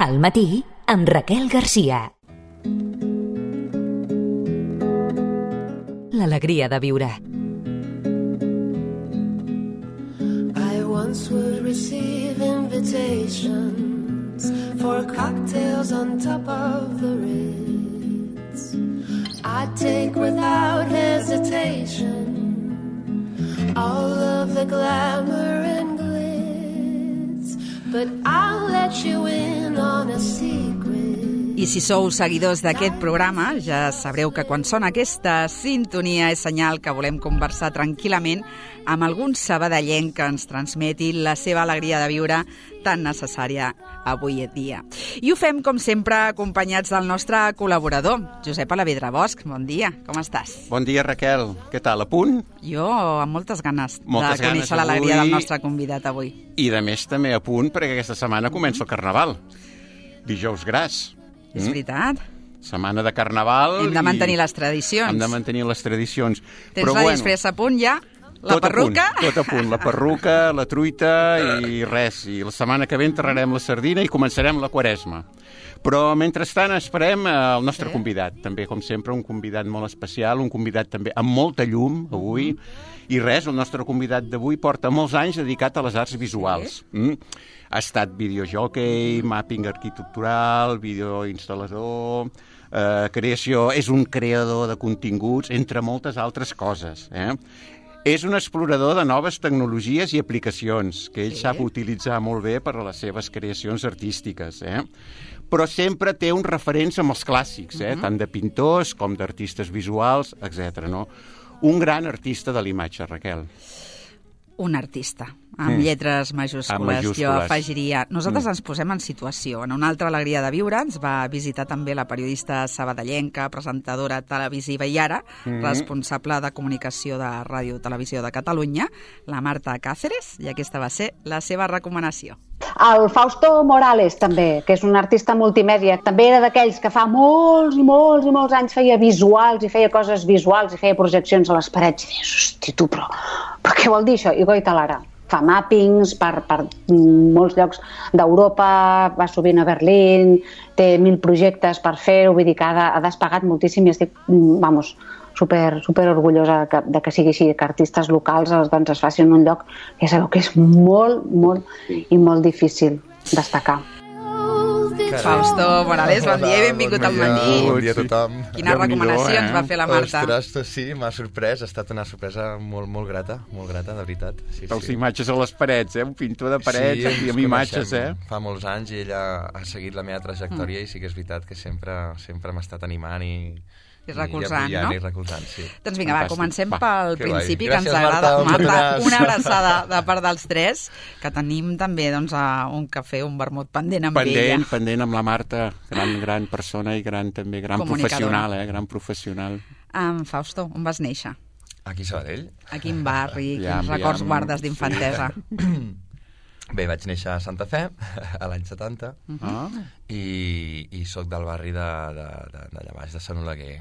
Al matí, amb Raquel Garcia. L'alegria de viure. I once would receive invitations for cocktails on top of the Ritz. I'd take without hesitation all of the glamour and glitz, but I'll let you in on a secret. I si sou seguidors d'aquest programa, ja sabreu que quan sona aquesta sintonia és senyal que volem conversar tranquil·lament amb algun sabadellenc que ens transmeti la seva alegria de viure tan necessària avui en dia. I ho fem, com sempre, acompanyats del nostre col·laborador, Josep Alavedra Bosch. Bon dia, com estàs? Bon dia, Raquel. Què tal, a punt? Jo amb moltes ganes de conèixer l'alegria del nostre convidat avui. I de més també a punt, perquè aquesta setmana comença el Carnaval. Dijous Gras. És veritat. Setmana de Carnaval. Hem de mantenir les tradicions. Hem de mantenir les tradicions. Tens la disfressa a punt ja? La perruca? Tot a punt. La perruca, la truita i res. I la setmana que ve enterrarem la sardina i començarem la Quaresma. Però, mentrestant, esperem el nostre convidat. També, com sempre, un convidat molt especial, un convidat també amb molta llum, avui. I res, el nostre convidat d'avui porta molts anys dedicat a les arts visuals. Ha estat videojockey, mapping arquitectural, videoinstal·lador, creació... És un creador de continguts, entre moltes altres coses, És un explorador de noves tecnologies i aplicacions que ell sap utilitzar molt bé per a les seves creacions artístiques, Però sempre té uns referents amb els clàssics, tant de pintors com d'artistes visuals, etc. Un gran artista de l'imatge, Raquel. Un artista, amb lletres majúscules. Jo afegiria... Nosaltres ens posem en situació. En una altra alegria de viure ens va visitar també la periodista sabadellenca, presentadora televisiva i ara responsable de comunicació de Ràdio Televisió de Catalunya, la Marta Cáceres, i aquesta va ser la seva recomanació. El Fausto Morales, també, que és un artista multimèdia, també era d'aquells que fa molts i molts i molts anys feia visuals i feia coses visuals i feia projeccions a les parets. I deies, hosti, tu, però què vol dir això? I goita l'ara. Fa mappings per molts llocs d'Europa, va sovint a Berlín, té 1000 projectes per fer-ho, vull dir que ha despegat moltíssim i estic, super orgullosa de que sigui així, que artistes locals doncs, es facin un lloc que sabeu que és molt, molt i molt difícil destacar. Fausto Morales, bon dia i benvingut al matí. Bon dia a tothom. Quina recomanació ens va fer la Marta? Ostres, sí, m'ha sorprès, ha estat una sorpresa molt grata, de veritat. Pels imatges a les parets, un pintor de parets i amb imatges, Fa molts anys i ella ha seguit la meva trajectòria i sí que és veritat que sempre m'ha estat animant i recolzant, no? I recolzant, sí. Doncs vinga, comencem pel principi, que ens agrada. Marta, una abraçada de part dels tres, que tenim també un cafè, un vermut pendent amb ella. Pendent amb la Marta, gran persona i gran professional, gran professional. Fausto, on vas néixer? Aquí a Sabadell. A quin barri? Quins records guardes d'infantesa? Bé, vaig néixer a Santa Fe a l'any 70 i soc del barri d'allà baix, de Sant Oleguer.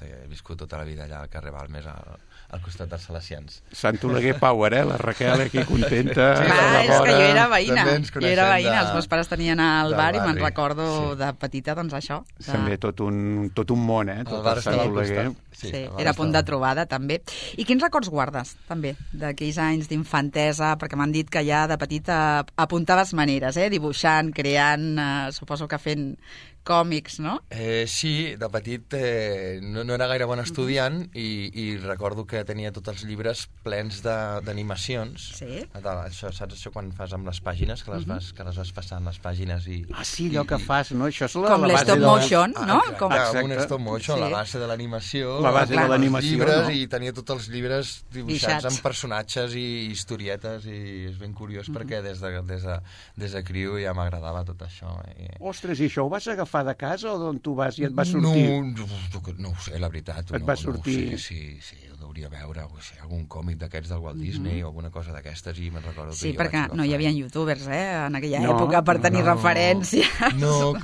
He viscut tota la vida allà al carrer Balmes, al costat dels Salesians. Sant Oleguer Power, la Raquel aquí contenta. Clar, és que jo era veïna. Els meus pares tenien el bar i me'n recordo de petita, doncs això. També tot un món, tot el Sant Oleguer. Sí, era punt de trobada, també. I quins records guardes, també, d'aquells anys d'infantesa? Perquè m'han dit que ja de petita apuntaves maneres, dibuixant, creant, suposo que fent còmics, no? Sí, de petit no era gaire bon estudiant i recordo que tenia tots els llibres plens d'animacions. Sí? Això, saps això quan fas amb les pàgines, que les vas passant les pàgines i... sí, allò que fas, no? Això és com l'stop motion, no? Exacte, un stop motion, la base de l'animació. La base de l'animació, llibres, no? I tenia tots els llibres dibuixats amb personatges i historietes i és ben curiós perquè des de criu ja m'agradava tot això. Ostres, i això ho vas agafar de casa o d'on tu vas i et va sortir? No ho sé, la veritat. Et va sortir? Sí, ho hauria veure, algun còmic d'aquests del Walt Disney o alguna cosa d'aquestes i me'n recordo. Sí, perquè no hi havia youtubers, en aquella època per tenir referència. No,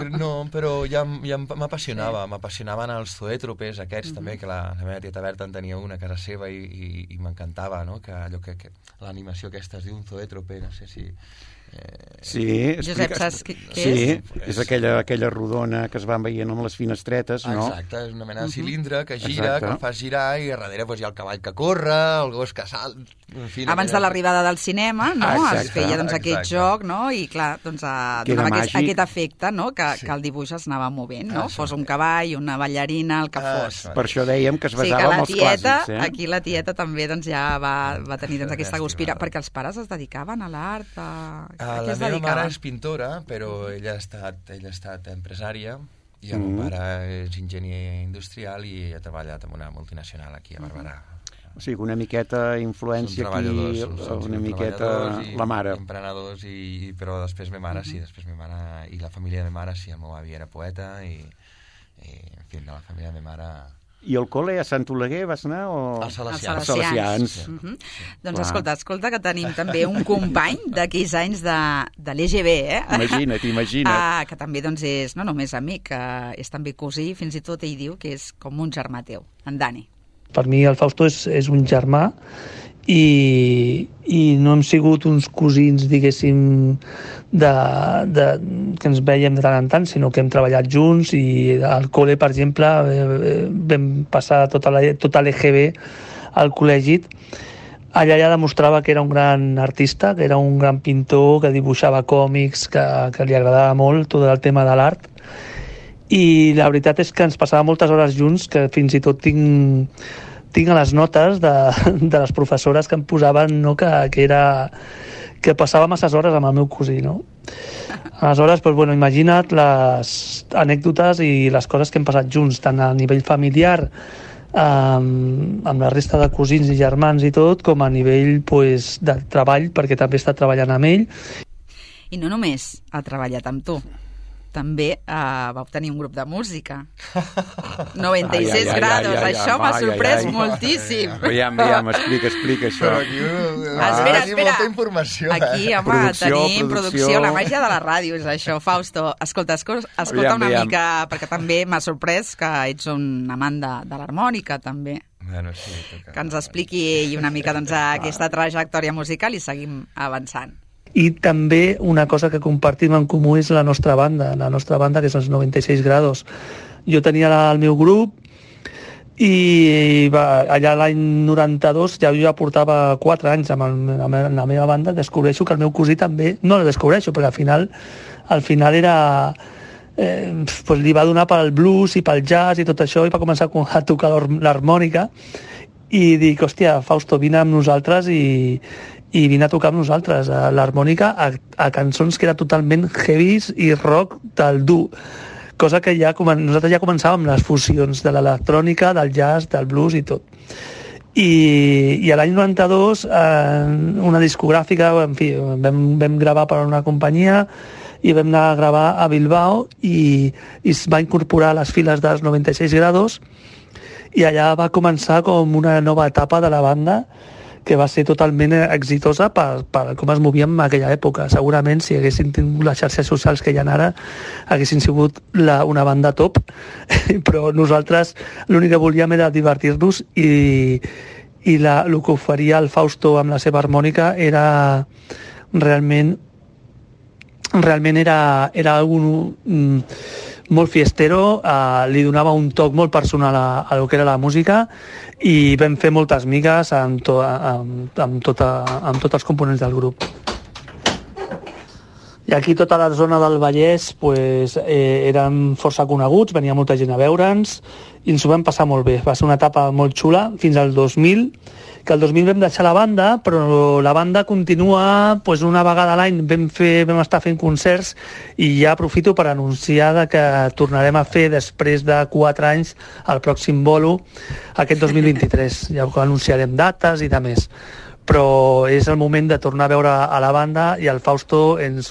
però ja m'apassionaven els zoètropes aquests també, que la meva tieta Berta en tenia una a casa seva i m'encantava, no? Que allò que l'animació aquesta es diu un zoètrope, no sé si... Sí, Josep, saps què sí, és? és aquella rodona que es van veient amb les finestretes, no? Exacte, és una mena de cilindre que gira, Exacte. que el fas girar, i a darrere hi ha el cavall que corre, el gos que salt... En fi, Abans de l'arribada del cinema, no? Es Exacte, feia aquest joc, no? I clar, donava aquest efecte, no? Que el dibuix es anava movent, no? Fos un cavall, una ballarina, el que fos. Per això dèiem que es basava en els clàssics, eh? Aquí la tieta també ja va tenir aquesta guspira, perquè els pares es dedicaven a l'art, a què es dedicaven? La meva mare és pintora, però ella ha estat empresària, i el meu pare és enginyer industrial i ha treballat en una multinacional aquí a Barberà. O sigui, una miqueta influència aquí, una miqueta la mare. Emprenedors, però després ma mare, sí, i la família de ma mare, sí, el meu avi era poeta, i en fi, de la família de ma mare... I al col·le a Sant Oleguer vas anar o...? Als Salesians. Els Salesians. Doncs escolta que tenim també un company d'aquells anys de l'EGB, eh? Imagina't. Que també doncs, és no només amic, és també cosí, fins i tot ell diu que és com un germà teu, en Dani. Per mi el Fausto és un germà i no hem sigut uns cosins, diguéssim, que ens veiem de tant en tant, sinó que hem treballat junts i al col·le, per exemple, vam passar tota l'EGB al col·legi. Allà ja demostrava que era un gran artista, que era un gran pintor, que dibuixava còmics, que li agradava molt tot el tema de l'art. I la veritat és que ens passava moltes hores junts, que fins i tot tinc a les notes de les professores que em posaven, no, que passava masses hores amb el meu cosí, no? Aleshores, doncs, bueno, imagina't les anècdotes i les coses que hem passat junts, tant a nivell familiar, amb la resta de cosins i germans i tot, com a nivell de treball, perquè també he estat treballant amb ell. I no només ha treballat amb tu, també vau tenir un grup de música. 96 grados, això m'ha sorprès moltíssim. Veiem, explica això. Espera. Molta informació. Aquí, home, tenim producció, la màgia de la ràdio, és això. Fausto, escolta una mica, perquè també m'ha sorprès que ets un amant de l'harmònica, també. Bueno, sí, que ens expliqui una mica aquesta trajectòria musical i seguim avançant. I també una cosa que compartim en comú és la nostra banda, que és els 96 grados. Jo tenia el meu grup i allà l'any 92 ja portava 4 anys amb la meva banda, descobreixo que el meu cosí també, no el descobreixo, perquè al final era... li va donar pel blues i pel jazz i tot això, i va començar a tocar l'harmònica, i dic, hòstia, Fausto, vine amb nosaltres i vine a tocar amb nosaltres l'harmònica a cançons que era totalment heavies i rock del dur, cosa que nosaltres ja començàvem les fusions de l'electrònica, del jazz, del blues i tot. I a l'any 92 una discogràfica, en fi, vam gravar per a una companyia i vam anar a gravar a Bilbao i es va incorporar a les files dels 96 grados, i allà va començar com una nova etapa de la banda que va ser totalment exitosa per com es movíem en aquella època. Segurament, si haguessin tingut les xarxes socials que hi ha ara, haguessin sigut una banda top, però nosaltres l'únic que volíem era divertir-nos i el que oferia el Fausto amb la seva harmònica era realment era algun molt fiestero, li donava un toc molt personal a lo que era la música, i vam fer moltes migues amb tots els components del grup. I aquí tota la zona del Vallès eren força coneguts, venia molta gent a veure'ns i ens ho vam passar molt bé. Va ser una etapa molt xula fins al 2000, que el 2000 vam deixar la banda, però la banda continua, una vegada a l'any vam estar fent concerts, i ja aprofito per anunciar que tornarem a fer després de 4 anys el pròxim bolo aquest 2023. Ja anunciarem dates i de més. Però és el moment de tornar a veure a la banda i al Fausto en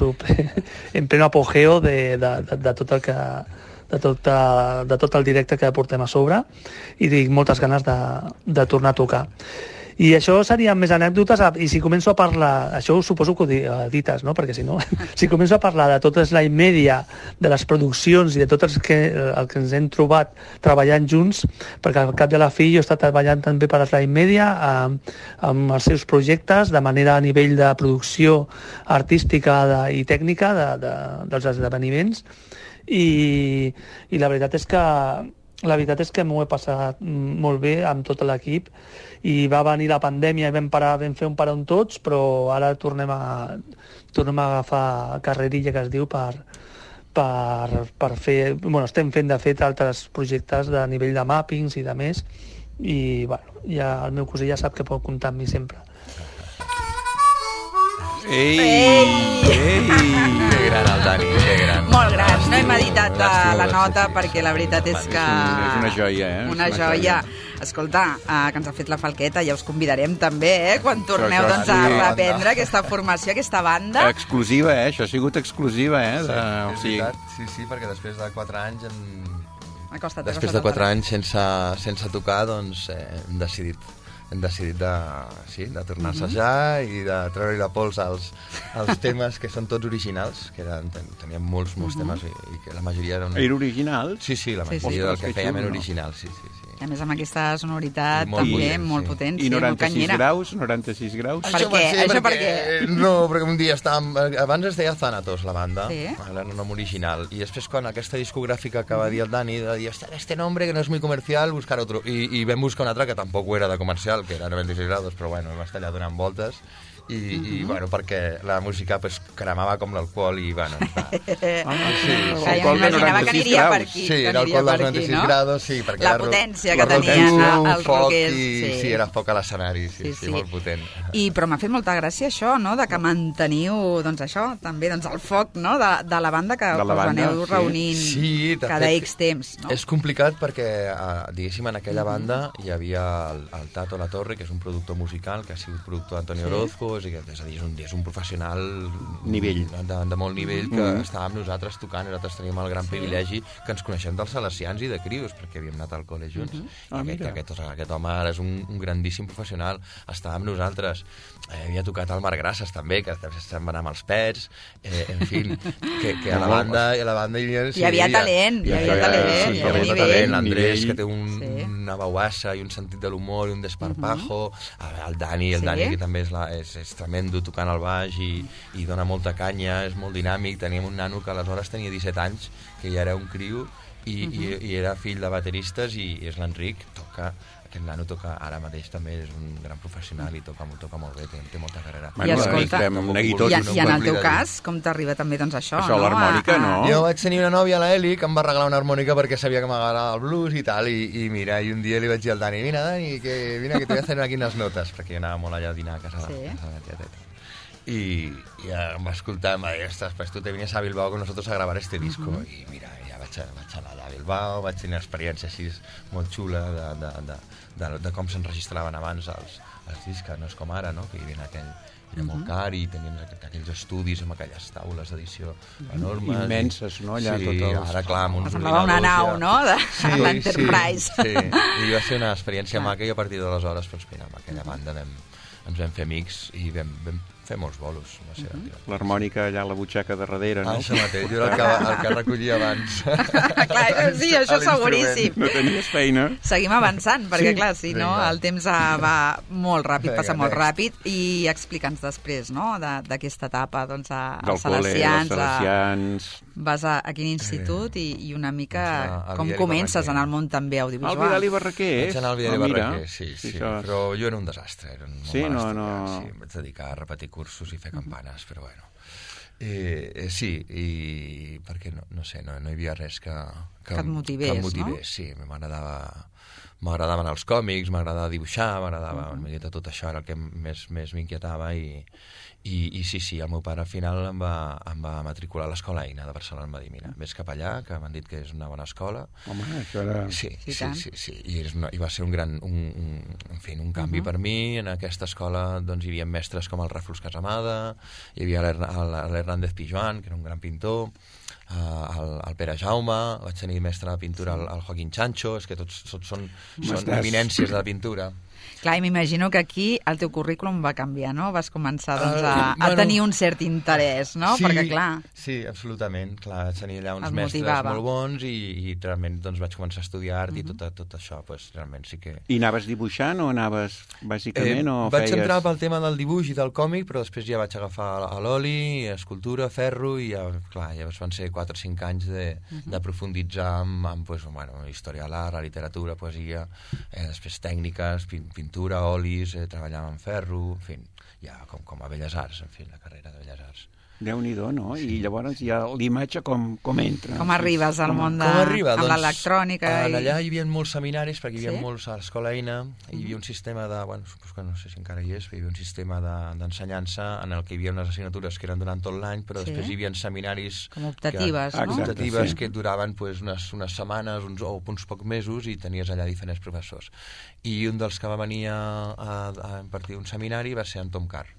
pleno apogeo de tot el directe que portem a sobre, i tinc moltes ganes de tornar a tocar. I això serien més anècdotes, i si començo a parlar, això suposo que ho edites, no? Perquè si no, si començo a parlar de tota la media, de les produccions i de tot el que ens hem trobat treballant junts, perquè al cap de la fi jo he estat treballant també per la Media amb els seus projectes, de manera a nivell de producció artística i tècnica dels esdeveniments, i la veritat és que m'ho he passat molt bé amb tot l'equip, i va venir la pandèmia i vam fer un paron tots, però ara tornem a agafar carrerilla, que es diu, per fer... Bueno, estem fent, de fet, altres projectes de nivell de mappings i de més, i bueno, ja el meu cosí ja sap que pot comptar amb mi sempre. Ei! Que gran el Dani, que gran. Molt gran, no he meditat la nota perquè la veritat és que... És una joia, eh? Una joia. Escolta, que ens ha fet la falqueta, ja us convidarem també, quan torneu doncs, a reprendre aquesta formació, aquesta banda. Exclusiva, Això ha sigut exclusiva, Sí, perquè després de 4 anys... Acosta't. Després de 4 anys sense tocar, doncs hem decidit de tornar a assajar i de treure-hi la pols als temes que són tots originals, que teníem molts temes i que la majoria eren... Era original? Sí, la majoria del que fèiem era original, sí. A més, amb aquesta sonoritat també molt potent. I 96 graus? Això per què? No, perquè un dia estàvem... Abans es deia Thanatos, la banda, era un nom original, i després quan aquesta discogràfica que va dir el Dani, de dir, este nombre que no és muy comercial, buscar otro, i vam buscar un altre que tampoc era de comercial, que era 96 graus, però bueno, vam estar allà donant voltes, i bueno, perquè la música pues cremava com l'alcohol i bueno... Imaginava que aniria per aquí. Sí, l'alcohol dels 96 graus, sí, perquè la potència que tenien els rockers. Sí, era foc a l'escenari, sí, molt potent. Però m'ha fet molta gràcia això, no?, de que manteniu, doncs això, també, doncs el foc, no?, de la banda que us aneu reunint cada X temps, no? És complicat perquè, diguéssim, en aquella banda hi havia el Tato La Torre, que és un productor musical, que ha sigut productor d'Antonio Orozco, és a dir, és un professional de molt nivell que estava amb nosaltres tocant, i nosaltres teníem el gran privilegi que ens coneixem dels salesians i de crios, perquè havíem anat al col·le junts. Aquest home ara és un grandíssim professional, estava amb nosaltres, havia tocat al Marc Grasses també, que se'n va anar amb els Pets, en fi, que a la banda hi havia talent, hi havia nivell. L'Andrés, que té una veuassa i un sentit de l'humor i un desparpajo, el Dani, que també és tremendo tocant al baix i dona molta canya, és molt dinàmic. Teníem un nano que aleshores tenia 17 anys, que ja era un criu i era fill de bateristes, i és l'Enric, aquest nano toca ara mateix també, és un gran professional i toca molt bé, té molta carrera. I escolta, i en el teu cas, com t'arriba també doncs això, no? L'harmònica, no? Jo vaig tenir una nòvia, la Eli, que em va regalar una harmònica perquè sabia que m'agradava el blues i tal, i mira, i un dia li vaig dir al Dani, vine Dani, que te voy a hacer aquí unes notes, perquè jo anava molt allà a dinar a casa de la tieta. Y em va escoltar, em va dir, ostres, pues tú te vienes a Bilbao con nosotros a grabar este disco. I mira, ja vaig anar allà a Bilbao, vaig tenir una experiència així molt xula de com s'enregistraven abans els discs, que no és com ara, no?, que hi havia era molt car i tenien aquells estudis amb aquelles taules d'edició enormes. Immenses, no?, allà tot el... Ara, clar, amb uns semblava una nau, no?, de l'Enterprise. Sí, i va ser una experiència maca, i a partir d'aleshores, doncs mira, amb aquella banda ens vam fer amics i vam fer molts bolos. L'harmònica allà a la butxaca de darrere, no? Això mateix, jo era el que recollia abans. Clar, sí, això seguríssim. No tenies feina. Seguim avançant, perquè clar, si no, el temps va molt ràpid, passa molt ràpid, i explica'ns després, no?, d'aquesta etapa, doncs, als Salesians. Vas a quin institut i una mica com comences en el món també audiovisual. Al Vidal i Barraquer, vaig anar al Vidal i Barraquer, sí, però jo era un desastre, era un sí, no. Sí, em vaig dedicar a repetir cursos i fer campanes, però bueno. Sí, i perquè no sé, no hi havia res que et motivés, no? Sí, m'agradaven els còmics, m'agradava dibuixar, m'agradava tot això, era el que més m'inquietava, i sí, el meu pare al final em va matricular a l'Escola Eina de Barcelona. Em va dir, mira, vés cap allà, que m'han dit que és una bona escola. Home, això era... Sí, i va ser un canvi per mi. En aquesta escola doncs, hi havia mestres com el Ràfols Casamada, hi havia l'Hernández Pijuan, que era un gran pintor, el Pere Jaume, vaig tenir mestre de pintura al Joaquín Chancho, és que tots són eminències de la pintura. Clar, i m'imagino que aquí el teu currículum va canviar, no? Vas començar a tenir un cert interès, no? Sí, perquè, clar... Sí, absolutament. Clar, tenia allà uns mestres motivava. molt bons i realment doncs, vaig començar a estudiar art i tot això, doncs, realment sí que... I anaves dibuixant o anaves bàsicament o vaig feies... entrar pel tema del dibuix i del còmic, però després ja vaig agafar a l'oli, escultura, ferro, i ja, clar, llavors van ser 4 o 5 anys de profunditzar amb pues, bueno, història de l'art, la literatura, poesia, després tècniques, pintura, olis, treballar amb ferro, en fi, ja com a Belles Arts, en fi, la carrera de Belles Arts. Déu-n'hi-do, no? Sí. I llavors ja l'imatge com entra? Com arribes al món de... Com arriba? amb l'electrònica? Allà hi havia molts seminaris, perquè hi havia molts a l'Escola Eina, hi havia un sistema de... Bueno, suposo que no sé si encara hi és, però hi havia un sistema d'ensenyança en el que hi havia unes assignatures que eren durant tot l'any, però després hi havia seminaris... Com optatives, no? Optatives que duraven pues, unes setmanes o uns pocs mesos i tenies allà diferents professors. I un dels que va venir a impartir un seminari va ser en Tom Carr.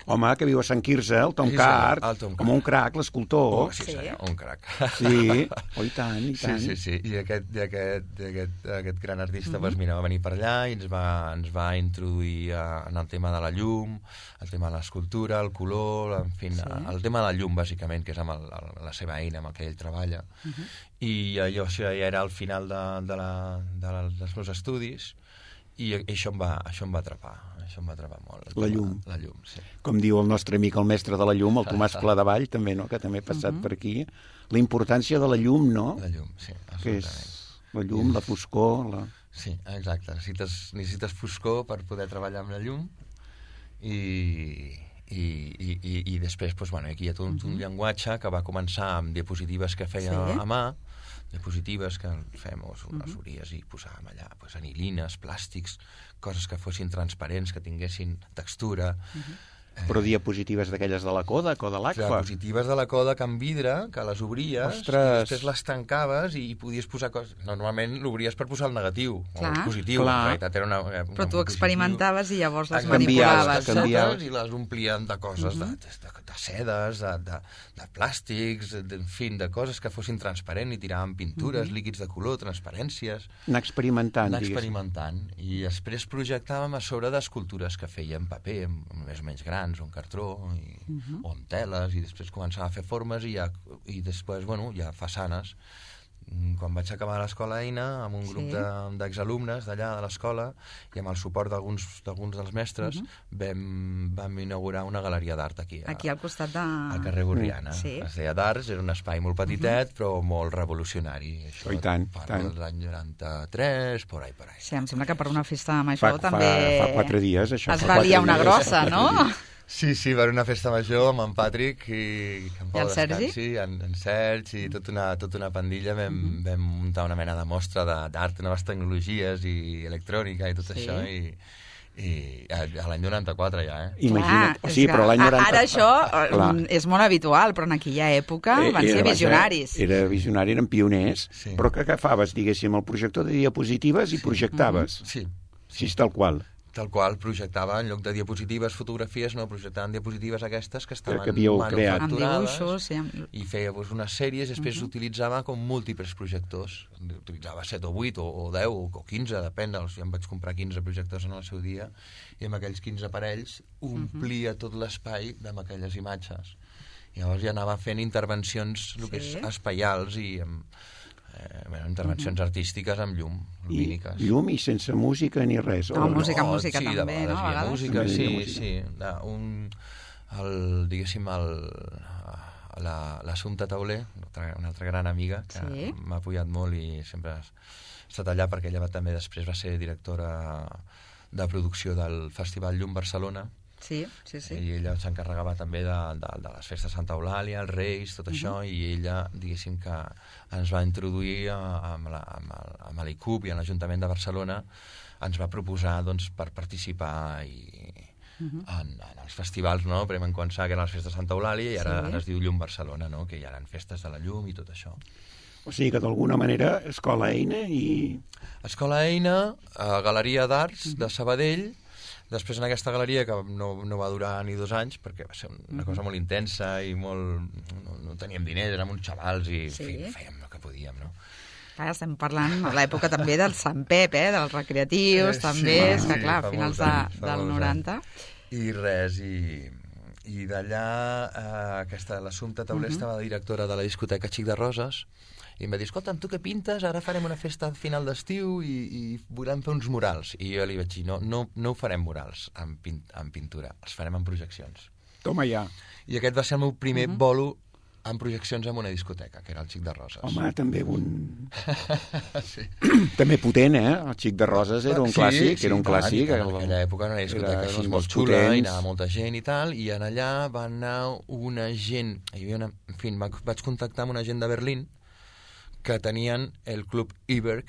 Home, que viu a Sant Quirze, el Tom Carr, com un crac, l'escultor. Sí, senyor, un crac. Sí, i tant, i tant. Sí. I aquest gran artista pues, mira, va venir per allà i ens va introduir en el tema de la llum, el tema de l'escultura, el color, en fi, el tema de la llum, bàsicament, que és amb la seva eina amb el que ell treballa. I això ja era al final dels meus estudis, i això em va atrapar molt. La llum. La llum, sí. Com diu el nostre amic, el mestre de la llum, el Tomàs Pladevall, també, no?, que també ha passat per aquí. La importància de la llum, no? La llum, sí, absolutament. Que és la llum, la foscor... Sí, exacte. Necessites foscor per poder treballar amb la llum i després, doncs, bueno, aquí hi ha tot un llenguatge que va començar amb diapositives que feia a mà, diapositives que fèiem unes ories i posàvem allà pues, anilines, plàstics, coses que fossin transparents, que tinguessin textura. Però diapositives d'aquelles de la Kodak o de l'Agfa. Diapositives de la Kodak amb vidre, que les obries, i després les tancaves i podies posar coses... Normalment l'obries per posar el negatiu, o el positiu. En realitat era però tu experimentaves i llavors les manipulaves. I les omplien de coses, de sedes, de plàstics, en fi, de coses que fossin transparents i tiraven pintures, líquids de color, transparències. Anar experimentant, I després projectàvem a sobre d'escultures que feien paper, més o menys grans, o en cartró, o en teles, i després començava a fer formes i després, bueno, ja façanes. Quan vaig acabar l'Escola Eina, amb un grup d'exalumnes d'allà de l'escola, i amb el suport d'alguns dels mestres, vam inaugurar una galeria d'art aquí al costat de... al carrer Borriana. Es deia d'Arts, era un espai molt petitet, però molt revolucionari. Això, i tant, parlo de l'any 93, por ahí. Sí, em sembla que per una festa major també... Fa 4 dies, això. Es va liar una grossa, no? Sí, per una festa major amb en Patrick i el Sergi? En Sergi i tota una pandilla vam muntar una mena de mostra d'art, noves tecnologies i electrònica i tot això i a l'any 94 ja, Imagina't. Sí, però l'any 94... Ara això és molt habitual, però en aquella època van ser visionaris. Era visionari, eren pioners, però que agafaves, diguéssim, el projector de diapositives i projectaves. Sí, tal qual. Tal qual, projectava, en lloc de diapositives, fotografies, no, projectaven diapositives aquestes que estaven manufacturades i feia unes sèries, i després utilitzava com múltiples projectors. Utilitzava 7 o 8 o 10 o 15, depèn, jo em vaig comprar 15 projectors en el seu dia, i amb aquells 15 aparells omplia tot l'espai amb aquelles imatges. I llavors ja anava fent intervencions espaials i intervencions artístiques amb llum, lumíniques. I llum i sense música ni res. Música també, no? A música, sí. Diguéssim, l'Assumpta Tauler, una altra gran amiga, que m'ha apoyat molt i sempre ha estat allà, perquè ella també després va ser directora de producció del Festival Llum Barcelona. Sí. I ella s'encarregava també de les festes de Santa Eulàlia, els Reis, tot això, i ella, diguéssim, que ens va introduir amb l'ICUB i a l'Ajuntament de Barcelona, ens va proposar per participar en els festivals, no? Primer vam començar que eren les festes de Santa Eulàlia i ara es diu Llum Barcelona, no? Que hi ha festes de la llum i tot això. O sigui que d'alguna manera Escola Eina i... Escola Eina, Galeria d'Arts de Sabadell. Després en aquesta galeria, que no va durar ni 2 anys, perquè va ser una cosa molt intensa i molt... No teníem diners, érem uns xavals i fèiem el que podíem, no? Clar, estem parlant a l'època també del Sant Pep, dels recreatius, també, és que clar, a finals del 90. I res, i d'allà l'Assumpta Tauler estava directora de la discoteca Xic de Roses, i em va dir, escolta'm, tu què pintes? Ara farem una festa al final d'estiu i volem fer uns murals. I jo li vaig dir, no ho farem murals en pintura, els farem en projeccions. Toma ja. I aquest va ser el meu primer bolo en projeccions en una discoteca, que era el Xic de Roses. Home, també sí. També potent, El Xic de Roses era un clàssic, era un clàssic. En aquella època era una discoteca així molt xula, i anava molta gent i tal, i en allà va anar una gent, en fi, vaig contactar amb una gent de Berlín que tenien el Club Iberg,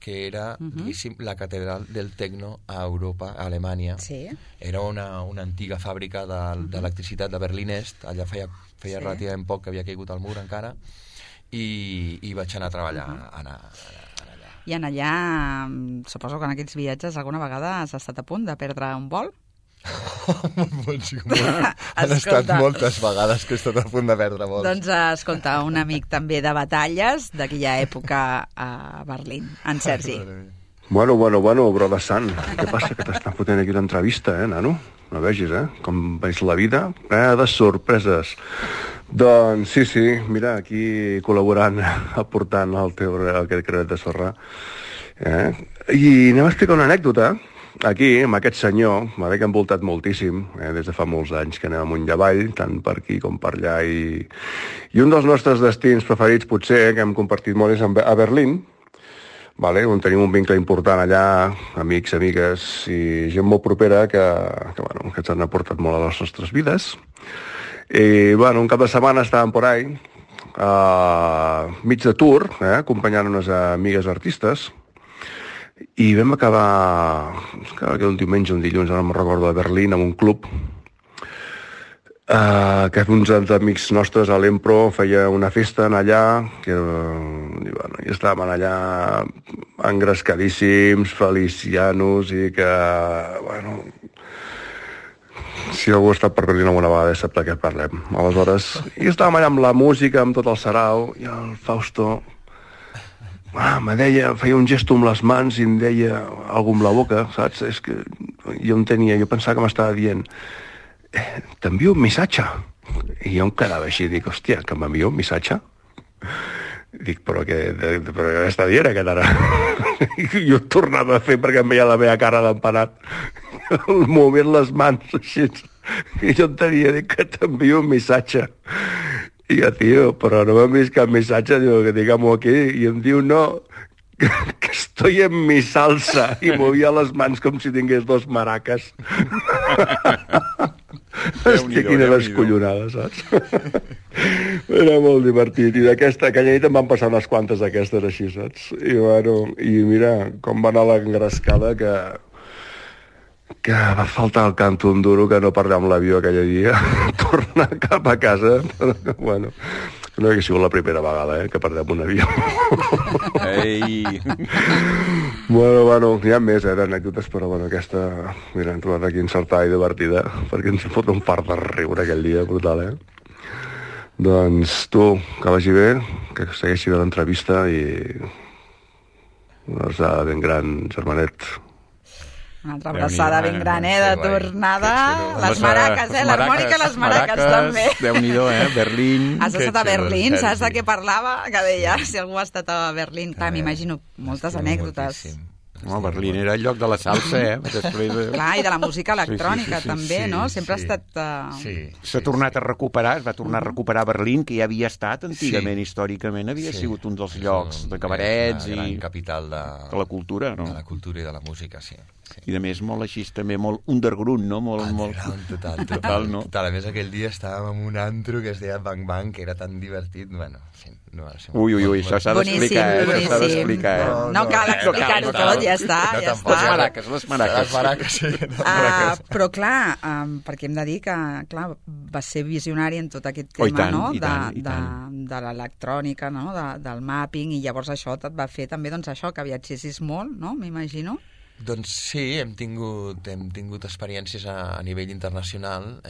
que era, diguéssim, la catedral del tecno a Europa, a Alemanya. Sí. Era una antiga fàbrica d'electricitat de Berlín Est, allà feia relativament poc que havia caigut al mur encara, i vaig anar a treballar allà. I en allà, suposo que en aquests viatges alguna vegada has estat a punt de perdre un vol? Han estat moltes vegades que he estat a punt de perdre vols. Doncs escolta, un amic també de batalles d'aquella època a Berlín, en Sergi. Bueno, brother Sant, què passa que t'estan fotent aquí l'entrevista, nano? No vegis, com veig la vida, de sorpreses. Doncs sí, mira, aquí col·laborant, aportant aquest credet de sorra. I anem a explicar una anècdota. Aquí, amb aquest senyor, que ha envoltat moltíssim, des de fa molts anys que anem amunt i avall, tant per aquí com per allà, i un dels nostres destins preferits, potser, que hem compartit molt, és a Berlín, on tenim un vincle important allà, amics, amigues, i gent molt propera que ens han aportat molt a les nostres vides. I, un cap de setmana estàvem por ahí, mig de tour, acompanyant unes amigues artistes, i vam acabar un diumenge, un dilluns, ara no me'n recordo, a Berlín, en un club, que uns amics nostres a l'Empro feia una festa allà, i estàvem allà engrescadíssims, felicianos, i que, si algú ha estat per Berlín alguna vegada sap de què parlem. Aleshores, i estàvem allà amb la música, amb tot el sarau, i el Fausto me deia, feia un gesto amb les mans i em deia alguna amb la boca, saps? És que jo pensava que m'estava dient t'envio un missatge. I jo em quedava així, dic, hòstia, que m'envio un missatge? Dic, però què està dient aquest ara? I jo tornava a fer perquè em veia la meva cara d'empanat, movent les mans així, i jo tenia, dic, que t'envio un missatge. I jo, tio, però no m'han vist cap missatge, diu, que digamos aquí, i em diu, no, que estoy en mi salsa, i movia les mans com si tingués dos maraques. Hòstia, quina descollonada, saps? Era molt divertit, i aquella nit em van passar unes quantes d'aquestes així, saps? I mira, com va anar l'engrescada que va faltar el canto un duro que no parlar amb l'avió aquell dia, tornar cap a casa, però no hauria sigut la primera vegada, que perdem un avió. Ei! Bueno, hi ha més, d'anècdotes, però aquesta, mira, hem trobat aquí encertada i divertida, perquè ens fot un fart de riure aquell dia, brutal, Doncs tu, que vagi bé, que segueixi bé l'entrevista i una abraçada ben gran, germanet. Una altra abraçada ben gran, de tornada. Les maraques, l'harmònica i les maraques també. Déu-n'hi-do, Berlín. Has estat a Berlín, saps de què parlava? Que deia, si algú ha estat a Berlín. Clar, m'imagino moltes anècdotes. Berlín era el lloc de la salsa, Després Clar, i de la música electrònica també, no? Sempre ha estat... S'ha tornat a recuperar, es va tornar a recuperar Berlín, que ja havia estat antigament, històricament, havia sigut un dels llocs de cabarets i... La gran capital de la cultura, no? De la cultura i de la música, sí. I a més molt així també, molt underground, no? Underground, total, no? Total, a més aquell dia estàvem en un antro que es deia Bang Bang, que era tan divertit, Ui, això s'ha d'explicar, s'ha d'explicar. No cal explicar-ho tot, ja està. Les maraques. Però clar, perquè hem de dir que va ser visionari en tot aquest tema, no? De l'electrònica, no? Del mapping, i llavors això et va fer també això, que viatgessis molt, no? M'imagino. Doncs sí, hem tingut experiències a nivell internacional,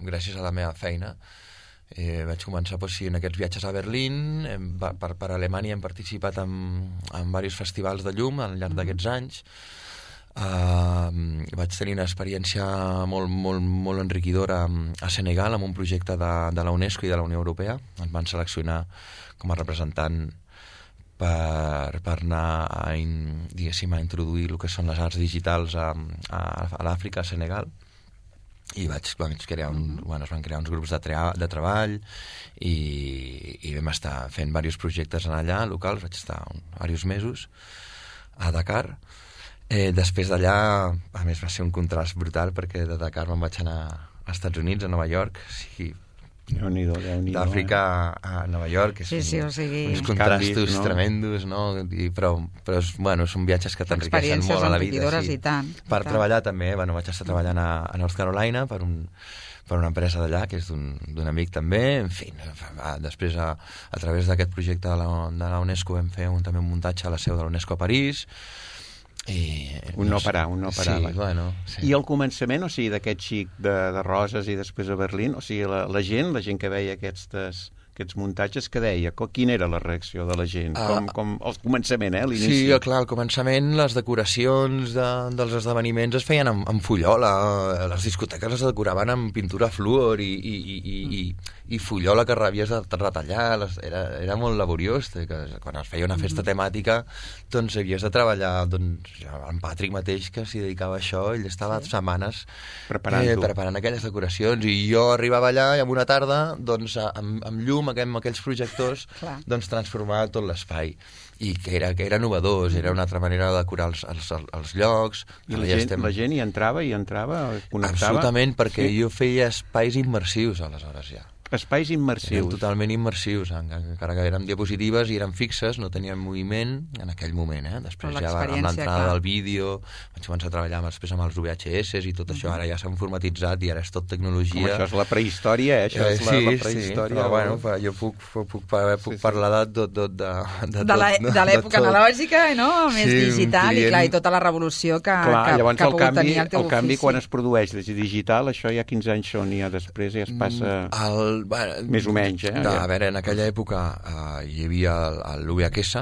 gràcies a la meva feina, Vaig començar en aquests viatges a Berlín, per Alemanya hem participat en diversos festivals de llum al llarg d'aquests anys. Vaig tenir una experiència molt enriquidora a Senegal amb un projecte de la UNESCO i de la Unió Europea. Ens van seleccionar com a representant per anar a introduir el que són les arts digitals a l'Àfrica, a Senegal. I es van crear uns grups de treball i vam estar fent diversos projectes allà locals. Vaig estar diversos mesos a Dakar. Després d'allà, a més va ser un contrast brutal, perquè de Dakar me'n vaig anar als Estats Units, a Nova York. Sí, Déu-n'hi-do, d'Àfrica a Nova York, uns contrastos tremendos, no? Però són viatges que t'enriqueixen molt a la vida. I tant. Per treballar també, vaig estar treballant a North Carolina per una empresa d'allà, que és d'un amic també. En fi, després a través d'aquest projecte de la UNESCO vam fer també un muntatge a la seu de l'UNESCO a París. Un no parar. Sí. I al començament, d'aquest xic de Roses i després a Berlín, la gent que veia aquests muntatges, que deia? Quina era la reacció de la gent? Com al començament, l'inici? Sí, clar, al començament les decoracions dels esdeveniments es feien amb fullola, les discoteques es decoraven amb pintura fluor i fullola que havies de retallar, era molt laboriós. Quan es feia una festa temàtica, doncs havies de treballar, en Patrick mateix, que s'hi dedicava a això, ell estava setmanes preparant aquelles decoracions, i jo arribava allà i en una tarda, doncs, amb llum, amb aquells projectors, doncs transformar tot l'espai, i que era novedós, era una altra manera de decorar els llocs. I la gent hi entrava, connectava? Absolutament, perquè jo feia espais immersius aleshores ja. Espais immersius. Eren totalment immersius, encara que eren diapositives i eren fixes, no tenien moviment en aquell moment. Després ja amb l'entrada del vídeo vaig començar a treballar després amb els VHS i tot això, ara ja s'ha informatitzat i ara és tot tecnologia. Com això és la prehistòria, això és la prehistòria. Però jo puc parlar de l'època analògica, no? Més digital, i clar, i tota la revolució que ha pogut tenir el teu ofici. El canvi, quan es produeix des digital, això ja 15 anys són, i després ja es passa... més o menys, A veure, en aquella època hi havia l'UVHS,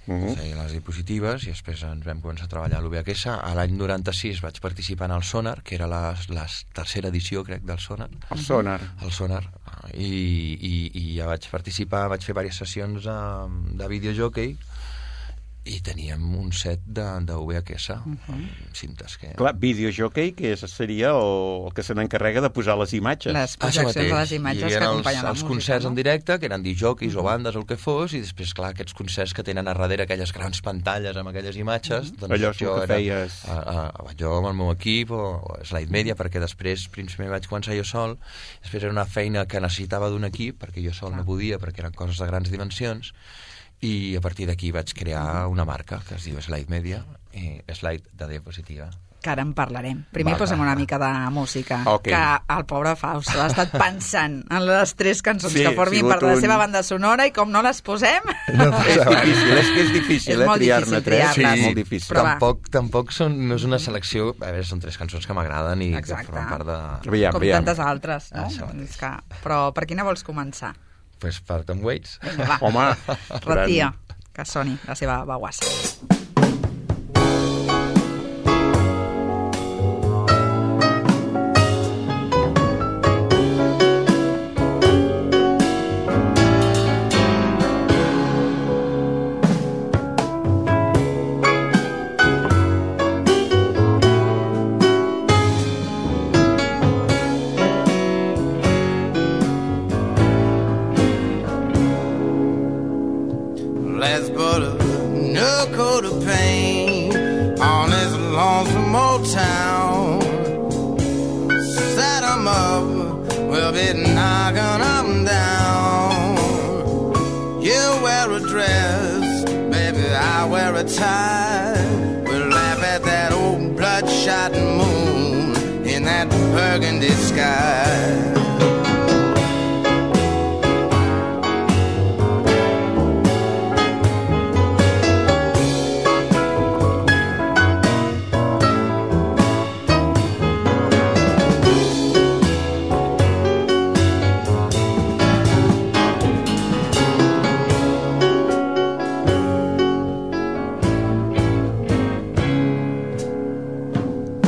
les diapositives, i després ens vam començar a treballar a l'UVHS. A l'any 96 vaig participar en el Sonar, que era la tercera edició, crec, del Sonar. El Sonar. I ja vaig participar, vaig fer diverses sessions de videojockey, i teníem un set de VHS, cintes que... Clar, videojockey, que seria el que se n'encarrega de posar les imatges. Les projeccions de les imatges que acompanyen la música. Els concerts en directe, que eren disjockeys o bandes o el que fos, i després, clar, aquests concerts que tenen a darrere aquelles grans pantalles amb aquelles imatges... Allò és el que feies... Jo amb el meu equip, o Slide Media, perquè després, primer vaig començar jo sol, després era una feina que necessitava d'un equip, perquè jo sol no podia, perquè eren coses de grans dimensions, i a partir d'aquí vaig crear una marca que es diu Slide Media, i Slide de diapositiva. Que ara en parlarem. Primer posem una mica de música, que el pobre Fausto ha estat pensant en les 3 cançons que formin part de la seva banda sonora, i com no les posem... És difícil, triar-ne 3. Sí, molt difícil. Tampoc no és una selecció... A veure, són 3 cançons que m'agraden i que formen part de... Com tantes altres, no? Però per quina vols començar? Pues per Tom Waits. Vinga, va. Home, retia, que soni la seva baguassa.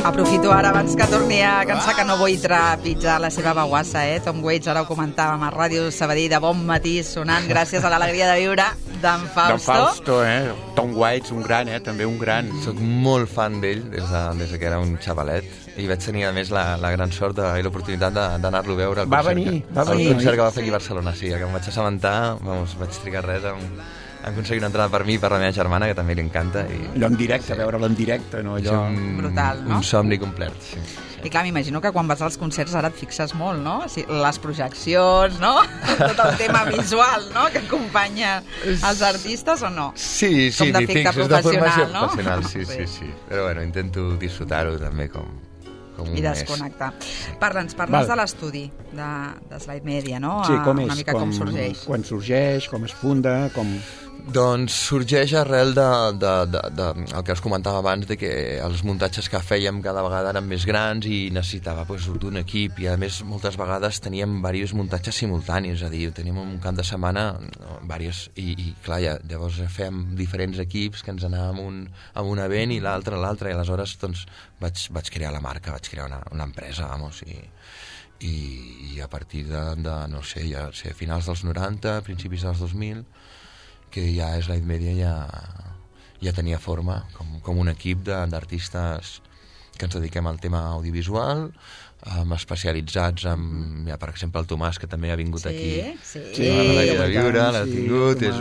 Aprofito ara, abans que torni a cansar, que no vull trepitjar la seva baguassa, Tom Waits, ara ho comentàvem a Ràdio Sabadell, de bon matí, sonant gràcies a l'alegria de viure d'en Fausto. D'en Fausto, Tom Waits, un gran, també un gran. Soc molt fan d'ell des que era un xavalet i vaig tenir, a més, la gran sort i l'oportunitat d'anar-lo a veure al concert que va fer aquí a Barcelona. Sí, que em vaig assabentar, vaig trigar res en aconseguir una entrada per mi i per la meva germana, que també li encanta. Allò en directe, veure'l en directe, no? Allò... Brutal, no? Un somni complet, sí. I clar, m'imagino que quan vas als concerts ara et fixes molt, no? Les projeccions, no? Tot el tema visual, no? Que acompanya els artistes, o no? Sí, com m'hi fixes, de formació no? professional, sí. Però bueno, intento disfrutar-ho també com un i desconnectar. Parla'ns de l'estudi de Slide Media, no? Sí, com és? Una mica com sorgeix. Quan sorgeix, com es funda, com... Doncs sorgeix arrel el que us comentava abans, de que els muntatges que fèiem cada vegada eren més grans i necessitava d'un equip, i a més moltes vegades teníem diversos muntatges simultanis, és a dir, teníem un cap de setmana i clar, llavors fèiem diferents equips que ens anàvem a un event i l'altre, i aleshores doncs vaig crear la marca, vaig crear una empresa, i a partir de no sé, finals dels 90, principis dels 2000, que ja Slide Media ja tenia forma com un equip d'artistes que ens dediquem al tema audiovisual, especialitzats per exemple, el Tomàs, que també ha vingut aquí a l'Alegria de Viure, l'ha tingut, és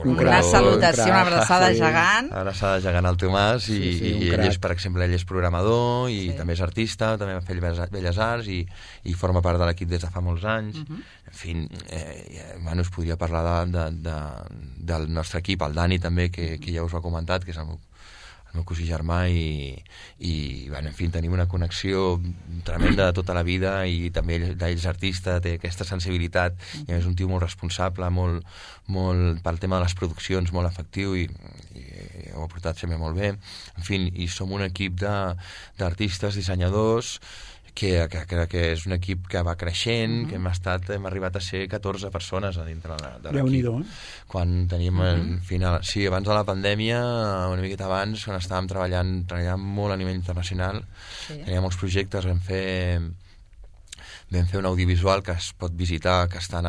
una salutació, una abraçada gegant. Abraçada gegant al Tomàs, i ell és, per exemple, programador i també és artista, també va fer Belles Arts i forma part de l'equip des de fa molts anys. En fi, us podria parlar del nostre equip, el Dani també, que ja us ho ha comentat, que és el meu cosí germà, i en fi, tenim una connexió tremenda de tota la vida, i també ell és artista, té aquesta sensibilitat, i és un tio molt responsable, molt pel tema de les produccions, molt efectiu, i ho ha portat sempre molt bé. En fi, i som un equip d'artistes, dissenyadors, que crec que és un equip que va creixent, que hem arribat a ser 14 persones a dintre de l'equip. Quan teníem, abans de la pandèmia, una miqueta abans, quan estàvem treballant molt a nivell internacional, teníem molts projectes, vam fer un audiovisual que es pot visitar, que està en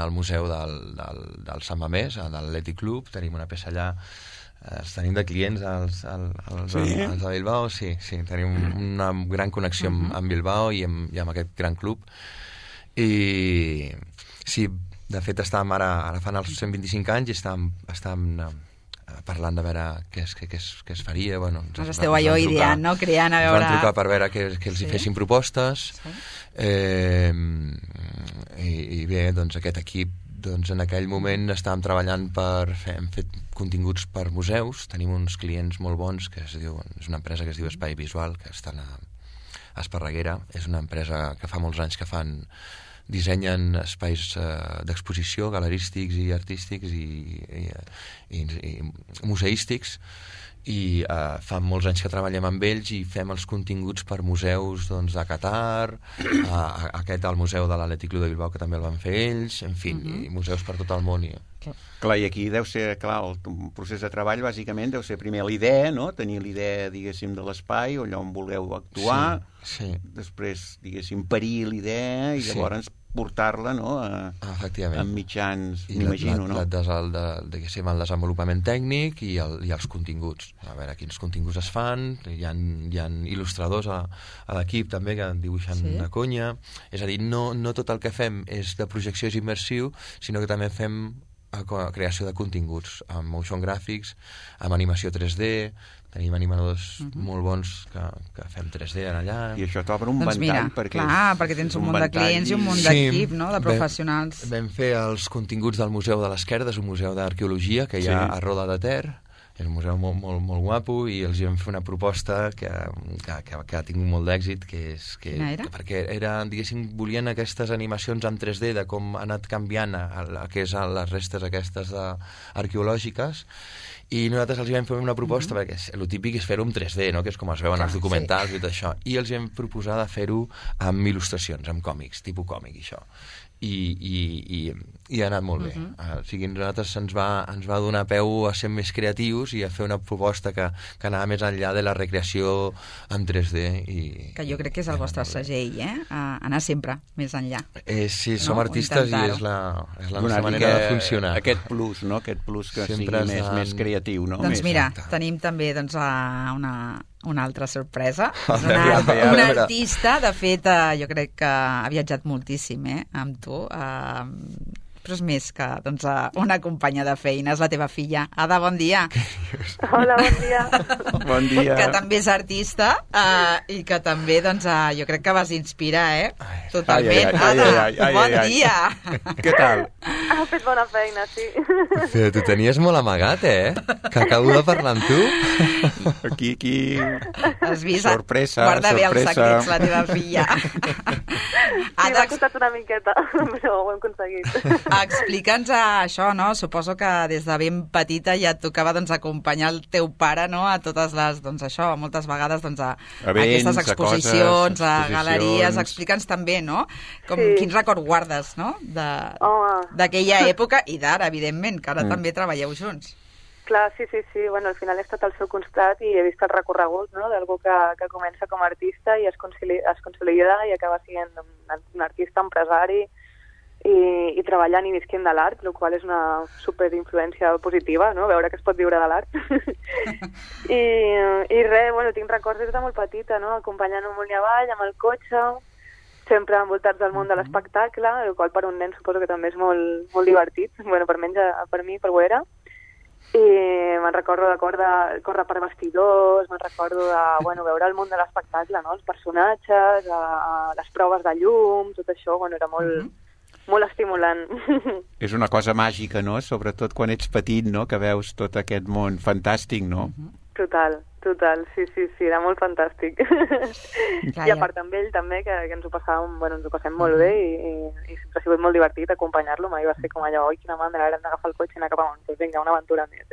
el museu del Sant Mamés, de l'Atlètic Club, tenim una peça allà. Tenim de clients als de Bilbao, sí, tenim una gran connexió amb Bilbao i amb aquest gran club. I sí, de fet estàvem ara fan els 125 anys i estàvem parlant de veure què es faria. Esteu allò ideant, no? Creant, a veure... Ens van trucar per veure que els hi fessin propostes, i bé, doncs aquest equip, en aquell moment estàvem treballant hem fet continguts per museus, tenim uns clients molt bons, és una empresa que es diu Espai Visual, que estan a Esparreguera, és una empresa que fa molts anys que dissenyen espais d'exposició, galerístics i artístics i museístics, i fa molts anys que treballem amb ells i fem els continguts per museus de Qatar, al museu de l'Atlètic Club de Bilbao, que també el van fer ells, en fi, i museus per tot el món. Clar, i aquí deu ser, el procés de treball bàsicament deu ser primer la idea, no? Tenir l'idea, diguéssim, de l'espai, allà on vulgueu actuar, després, diguéssim, parir l'idea i llavors portar-la, no?, amb mitjans, m'imagino, no? El desenvolupament tècnic i els continguts. A veure quins continguts es fan, hi ha il·lustradors a l'equip també que dibuixen de conya. És a dir, no tot el que fem és de projecció, és immersiu, sinó que també fem creació de continguts, amb motion graphics, amb animació 3D, tenim animadors molt bons que fem 3D allà. I això t'obre un ventall, perquè tens un munt de clients i un munt d'equip, no?, de professionals. Vam fer els continguts del Museu de l'Esquerda, és un museu d'arqueologia que hi ha a Roda de Ter, és un museu molt guapo, i els vam fer una proposta que ha tingut molt d'èxit, perquè diguéssim, volien aquestes animacions en 3D de com ha anat canviant les restes aquestes arqueològiques, i nosaltres els vam fer una proposta, perquè el típic és fer-ho en 3D, no?, que és com es veuen els documentals i tot això, i els vam proposar de fer-ho amb il·lustracions, amb còmics, tipus còmic, i això. i ha anat molt bé. O sigui, nosaltres ens va donar peu a ser més creatius i a fer una proposta que anava més enllà de la recreació en 3D. Que jo crec que és el vostre segell, anar sempre més enllà. Sí, som artistes i és la nostra manera de funcionar. Aquest plus, no? Aquest plus que sigui més creatiu, no? Doncs mira, tenim també una altra sorpresa. Un artista, de fet, jo crec que ha viatjat moltíssim amb tu, però és més que una companya de feina, és la teva filla. Ada, bon dia. Hola, bon dia. Bon dia. Que també és artista i que també, jo crec que vas inspirar, totalment. Ada, bon dia. Què tal? Ha fet bona feina, sí. Però tu tenies molt amagat, que acabo de parlar amb tu. Aquí. Has vist? Sorpresa. Guarda bé els secrets, la teva filla. Sí, m'ha costat una miqueta, però ho hem aconseguit. Explica'ns això, no? Suposo que des de ben petita ja et tocava acompanyar el teu pare, no? A totes les, moltes vegades a aquestes exposicions, a galeries. Explica'ns també, no? Quins records guardes, no? D'aquella època i d'ara, evidentment, que ara també treballeu junts. Clar, sí. Bueno, al final he estat al seu costat i he vist el recorregut, no?, d'algú que comença com a artista i es consolida i acaba sent un artista, empresari i treballant i visquent de l'art, el qual és una superinfluència positiva, no?, veure que es pot viure de l'art. I res, bueno, tinc records des de molt petita, no?, acompanyant amunt i avall amb el cotxe, sempre envoltats del món de l'espectacle, el qual per un nen suposo que també és molt, molt divertit. Bueno, per mi ho era. I me'n recordo de córrer per vestidors, me'n recordo de veure el món de l'espectacle, no?, els personatges, les proves de llum, tot això, bueno, era molt estimulant. És una cosa màgica, no?, sobretot quan ets petit, no?, que veus tot aquest món fantàstic, no? Total, sí, era molt fantàstic. I a part amb ell també, que ens ho passem molt bé i sempre ha sigut molt divertit acompanyar-lo, mai va ser com allò, oi, quina mandra, ara hem d'agafar el cotxe i anar cap amunt, doncs vinga, una aventura més.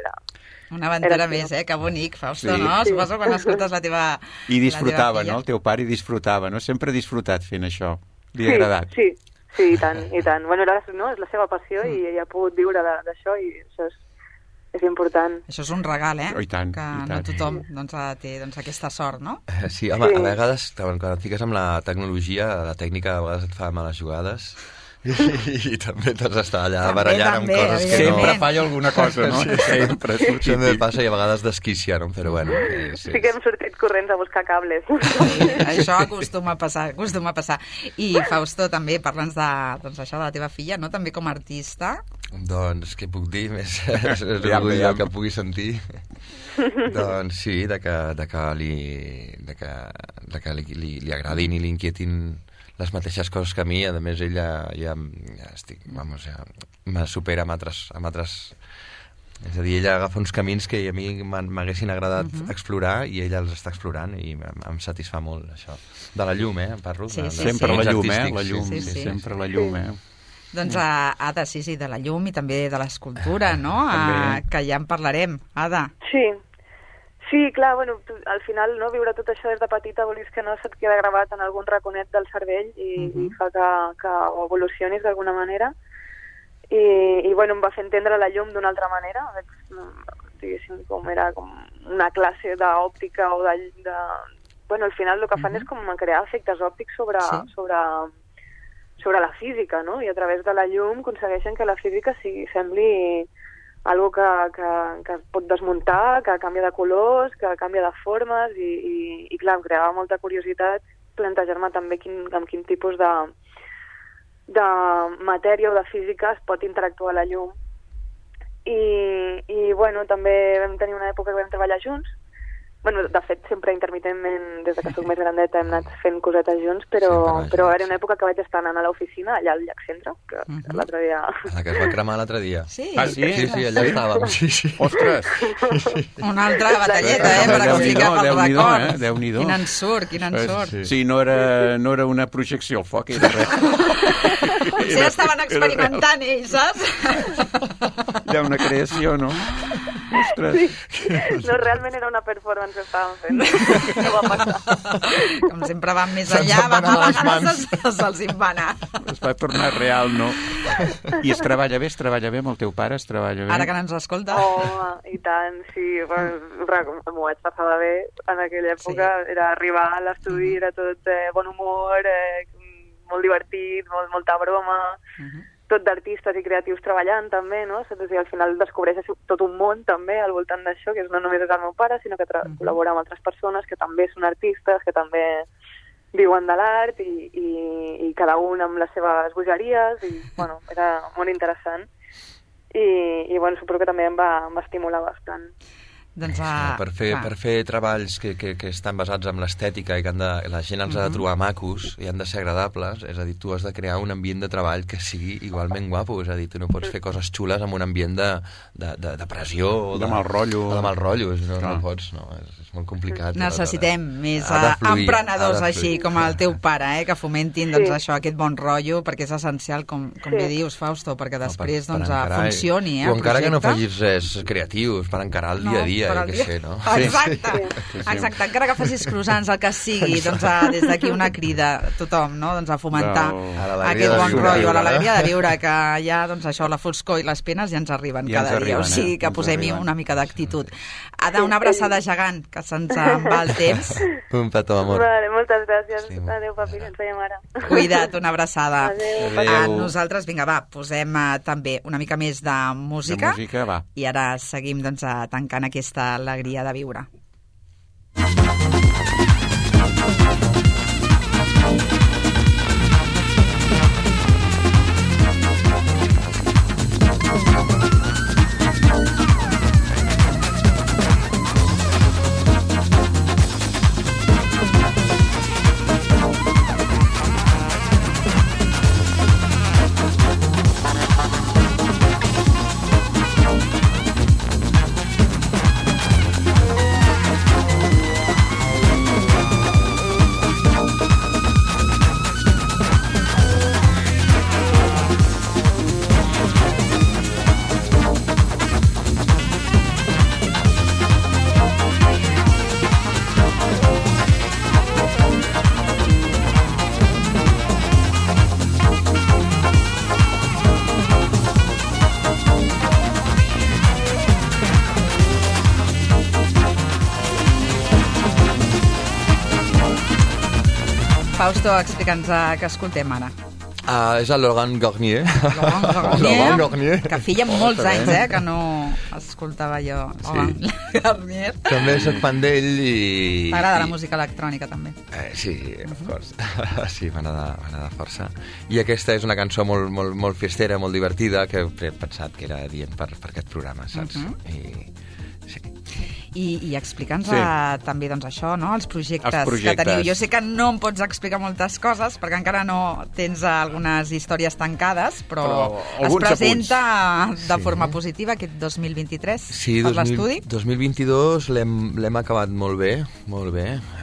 Una aventura més, que bonic, Fausto, no? Sí. Suposo quan escoltes la teva... I disfrutava, no? El teu pare disfrutava, no? Sempre ha disfrutat fent això. Li ha agradat. Sí, i tant. Bueno, és la seva passió i ha pogut viure d'això i això és important. Això és un regal, I tant, que no tothom té aquesta sort, no? Sí, home, a vegades, quan et fiques amb la tecnologia, la tècnica a vegades et fa males jugades i també t'has d'estar allà barallant amb coses que no... Sempre falla alguna cosa, no? Sempre passa i a vegades desquícia, no? Però bueno... Sí que hem sortit corrents a buscar cables. Això acostuma a passar. I Fausto, també, parla'ns d'això de la teva filla, no? També com a artista. Doncs, què puc dir? És l'orgull que pugui sentir. Doncs sí, de que li agradin i li inquietin les mateixes coses que a mi. A més, ella me supera amb altres... És a dir, ella agafa uns camins que a mi m'haguessin agradat explorar i ella els està explorant i em satisfà molt, això. De la llum, parlo. Sempre la llum, la llum. Sempre la llum, Doncs, Ada, sí, de la llum i també de l'escultura, no? Que ja en parlarem. Ada. Sí, clar, bueno, al final, no, viure tot això des de petita volis que no se't queda gravat en algun raconet del cervell i fa que ho evolucionis d'alguna manera. I bueno, em va fer entendre la llum d'una altra manera. Diguéssim, era com una classe d'òptica o de... Bueno, al final el que fan és com crear efectes òptics sobre la física, no? I a través de la llum aconsegueixen que la física sembli algo que es pot desmuntar, que canvia de colors, que canvia de formes i clar, em creava molta curiositat plantejar-me també amb quin tipus de matèria o de física es pot interactuar la llum. I bueno, també vam tenir una època que vam treballar junts. Bueno, de fet, sempre intermitentment, des que soc més grandeta, hem anat fent cosetes junts, però era una època que vaig estar anant a l'oficina, allà al Llac Centre, que l'altre dia... La que es va cremar l'altre dia. Sí? Sí, allà estàvem. Sí. Ostres! Una altra batalleta, per explicar pel record. Déu-n'hi-do. Quin ensurt. Sí, no era una projecció al foc, era res. Potser estaven experimentant ells, saps? Hi ha una creació, no? Ostres! No, realment era una performance que estàvem fent. No va passar. Com sempre van més enllà, a vegades se'ls en va anar. es va tornar real, no? I es treballa bé amb el teu pare? Es treballa bé? Ara que no ens escolta. Oh, i tant, sí. M'ho vaig passar bé en aquella època. Sí. Era arribar a l'estudi, era tot bon humor, molt divertit, molta broma, tot d'artistes i creatius treballant també, no? O sigui, al final descobreixes tot un món també al voltant d'això, que no només és el meu pare, sinó que col·labora amb altres persones que també són artistes, que també viuen de l'art i cada un amb les seves bogeries i, bueno, era molt interessant i bueno, suposo que també em va estimular bastant. Doncs, per fer treballs que estan basats en l'estètica i que la gent els ha de trobar macos i han de ser agradables, és a dir, tu has de crear un ambient de treball que sigui igualment guapo, és a dir, tu no pots fer coses xules amb un ambient de pressió o de mal rotllo. O de mal rotllo, no pots, no, és molt complicat. Necessitem més emprenedors així com el teu pare, que fomentin doncs, això, aquest bon rotllo, perquè és essencial, com bé dius, Fausto, perquè després funcioni el projecte. O encara que no facis res creatius, per encarar el dia a dia, que sé, no? Exacte, encara que facis croissants, el que sigui, doncs des d'aquí una crida a tothom, no? Doncs a fomentar aquest bon rotllo, a l'alegria de viure, que ja, doncs això, la foscor i les penes ja ens arriben cada dia, o sigui que posem-hi una mica d'actitud. Ada, una abraçada gegant, que se'ns en va el temps. Un petó, amor. Vale, moltes gràcies. Adéu, papi, que ens veiem ara. Cuida't, una abraçada. Adéu. Nosaltres, vinga, va, posem també una mica més de música. I ara seguim doncs tancant aquesta alegria de viure. Fausto, explica'ns què escoltem ara. És el Laurent Garnier. Laurent Garnier, que feia molts anys que no escoltava jo Laurent Garnier. També soc fan d'ell i... T'agrada la música electrònica, també? Sí, of course. Sí, m'agrada força. I aquesta és una cançó molt festera, molt divertida, que he pensat que era adient per aquest programa, saps? I explica'ns també doncs, això, no? Els projectes que teniu. Jo sé que no em pots explicar moltes coses perquè encara no tens algunes històries tancades, però es presenta de forma positiva aquest 2023 per l'estudi. Sí, 2022 l'hem acabat molt bé.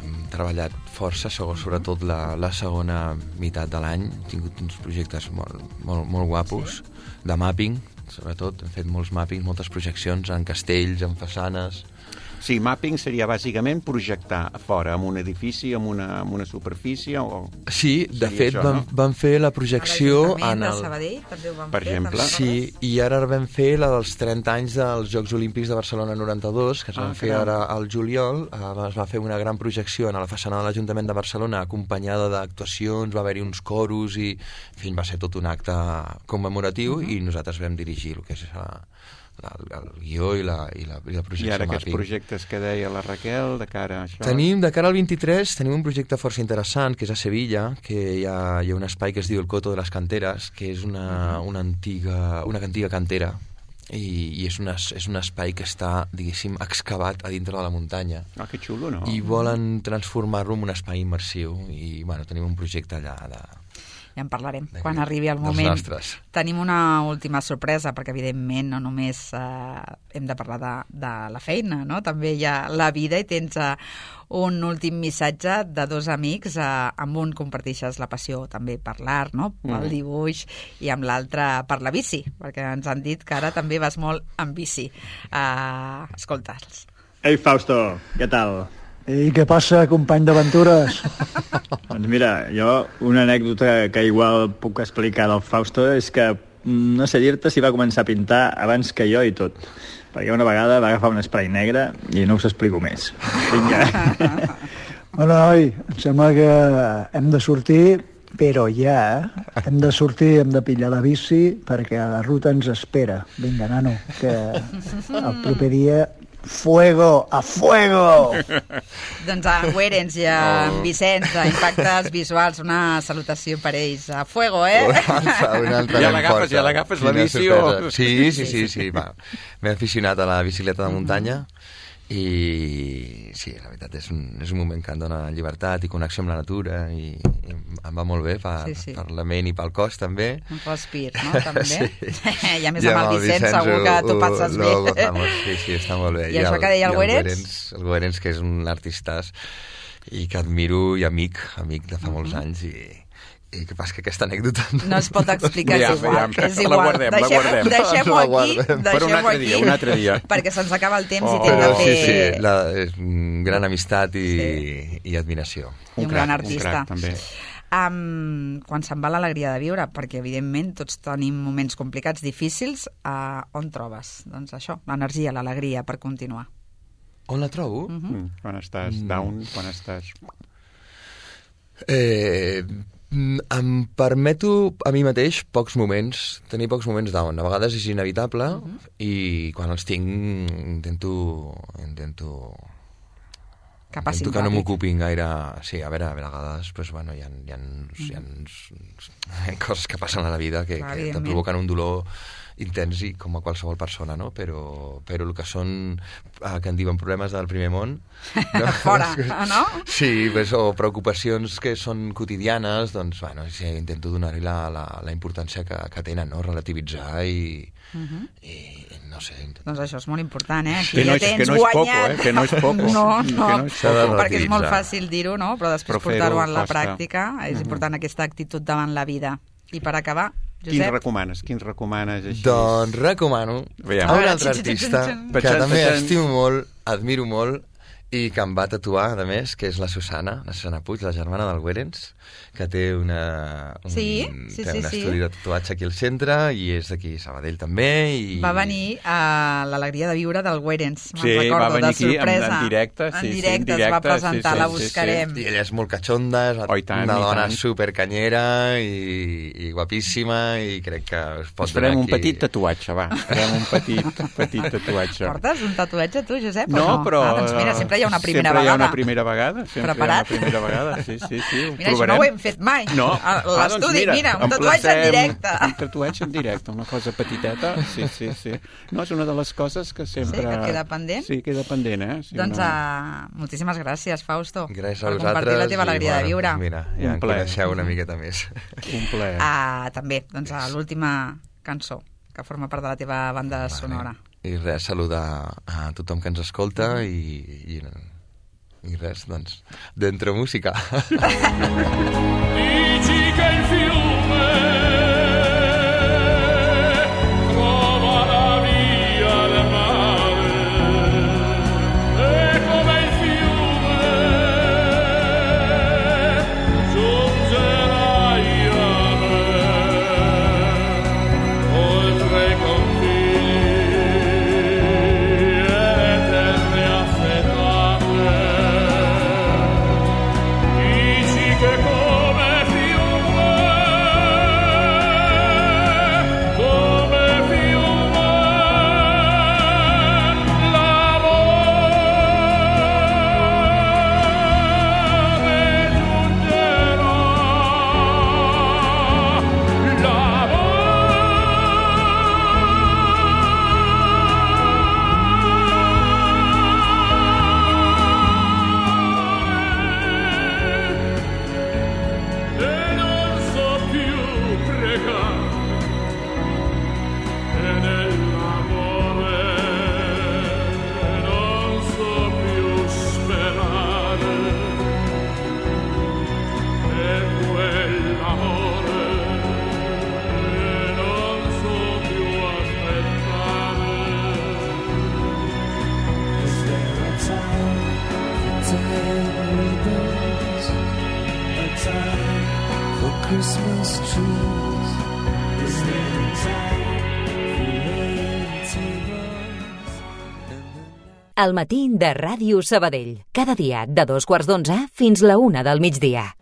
Hem treballat força, sobretot la segona meitat de l'any. Hem tingut uns projectes molt guapos, de mapping, sobretot. Hem fet molts mappings, moltes projeccions en castells, en façanes. Sí, mapping seria bàsicament projectar a fora, amb un edifici, amb una superfície o... Sí, de fet, vam fer la projecció... A l'Ajuntament de Sabadell també ho vam fer. Per exemple. Sí, i ara vam fer la dels 30 anys dels Jocs Olímpics de Barcelona 92, que es van fer ara al juliol. Es va fer una gran projecció a la façana de l'Ajuntament de Barcelona, acompanyada d'actuacions, va haver-hi uns coros i... En fi, va ser tot un acte commemoratiu i nosaltres vam dirigir el que és el guió i la projecció. I ara aquests projectes que deia la Raquel de cara a això? De cara al 23 tenim un projecte força interessant, que és a Sevilla, que hi ha un espai que es diu el Coto de les Canteres, que és una antiga cantera, i és un espai que està, diguéssim, excavat a dintre de la muntanya. Que xulo, no? I volen transformar-lo en un espai immersiu, i tenim un projecte allà ja en parlarem quan arribi el moment. Tenim una última sorpresa, perquè evidentment no només hem de parlar de la feina, no? També hi ha la vida i tens un últim missatge de dos amics, amb un comparteixes la passió també per l'art, no? Pel dibuix, i amb l'altre per la bici, perquè ens han dit que ara també vas molt en bici. Escolta'ls. Ei, Fausto, què tal? I què passa, company d'aventures? Doncs mira, jo una anècdota que igual puc explicar del Fausto és que no sé dir-te si va començar a pintar abans que jo i tot. Perquè una vegada va agafar un spray negre i no us explico més. Vinga. Bueno, noi, em sembla que hem de sortir, però ja hem de sortir, hem de pillar la bici perquè la ruta ens espera. Vinga, nano, que el proper dia... Fuego, a fuego! Doncs a Guerens i a Vicenç, a Impactes Visuals, una salutació per ells. A fuego, eh? Ja l'agafes la bici o... Sí. M'he aficionat a la bicicleta de muntanya i sí, la veritat és un moment que em dona llibertat i connexió amb la natura i em va molt bé per la ment i pel cos també. Un respir, no? També. Sí. I a més amb el Vicenç segur que tu passes bé. Sí, està molt bé. I això que deia el Guerens? El Guerens, que és un artista i que admiro i amic de fa molts anys i que passa que aquesta anècdota... No es pot explicar, és igual. La guardem. Deixem-ho aquí. Per un altre dia. Perquè se'ns acaba el temps i t'hem de fer... Sí, gran amistat i admiració. Un gran artista. Un crac, també. Quan se'n va l'alegria de viure, perquè evidentment tots tenim moments complicats, difícils, on trobes? Doncs això, l'energia, l'alegria per continuar. On la trobo? Quan estàs down, quan estàs... Em permeto a mi mateix tenir pocs moments down. A vegades és inevitable i quan els tinc intento que no m'ocupin gaire. Sí, a vegades pues, bueno, hi ha coses que passen a la vida que te provoquen un dolor intens i com a qualsevol persona, no? Però el que són, que en diuen problemes del primer món... No? Fora, no? Sí, pues, o preocupacions que són quotidianes, doncs, bueno, sí, intento donar-hi la importància que tenen, no? Relativitzar i no sé... Doncs això és molt important, eh? Que no és poco, eh? Que no és poco. No, perquè és molt fàcil dir-ho, no? Però després portar-ho en la pràctica és important aquesta actitud davant la vida. I per acabar, Josep... Quins recomanes així? Doncs recomano a un altre artista que també estimo molt, admiro molt i que em va tatuar, a més, que és la Susana Puig, la germana del Guerens, que té un estudi de tatuatge aquí al centre i és d'aquí Sabadell també. Va venir a l'Alegria de Viure del Guerens, me'n recordo, va venir aquí en directe. En directe es va presentar, la buscarem. I ella és molt catxonda, és una dona supercanyera i guapíssima i crec que es pot donar aquí... un petit tatuatge, va. Farem un petit tatuatge. Portes un tatuatge tu, Josep? No, però... Doncs mira, sempre hi ha una primera vegada. Sempre hi ha una primera vegada. Preparat? Sí, mira, això no ho hem fet mai. No. A l'estudi, mira, un tatuatge en directe. Un tatuatge en directe, una cosa petiteta. Sí. No, és una de les coses que sempre... Sí, que queda pendent? Sí, queda pendent, eh? Sí, doncs moltíssimes gràcies, Fausto. Gràcies a vosaltres. Per compartir la teva alegria de viure. Mira, ja en coneixeu una miqueta més. Un plaer. També, doncs l'última cançó que forma part de la teva banda sonora. I res, saludar a tothom que ens escolta i res, doncs, dentro música. Dici che il fiume trova la via del mare e come il fiume giungerai a me oltre i confini e terre affetate. Dici che come fiume time for Christmas trees? Is there time for red tables? El matí de Ràdio Sabadell. Cada dia de 2:15 fins la 1 del migdia.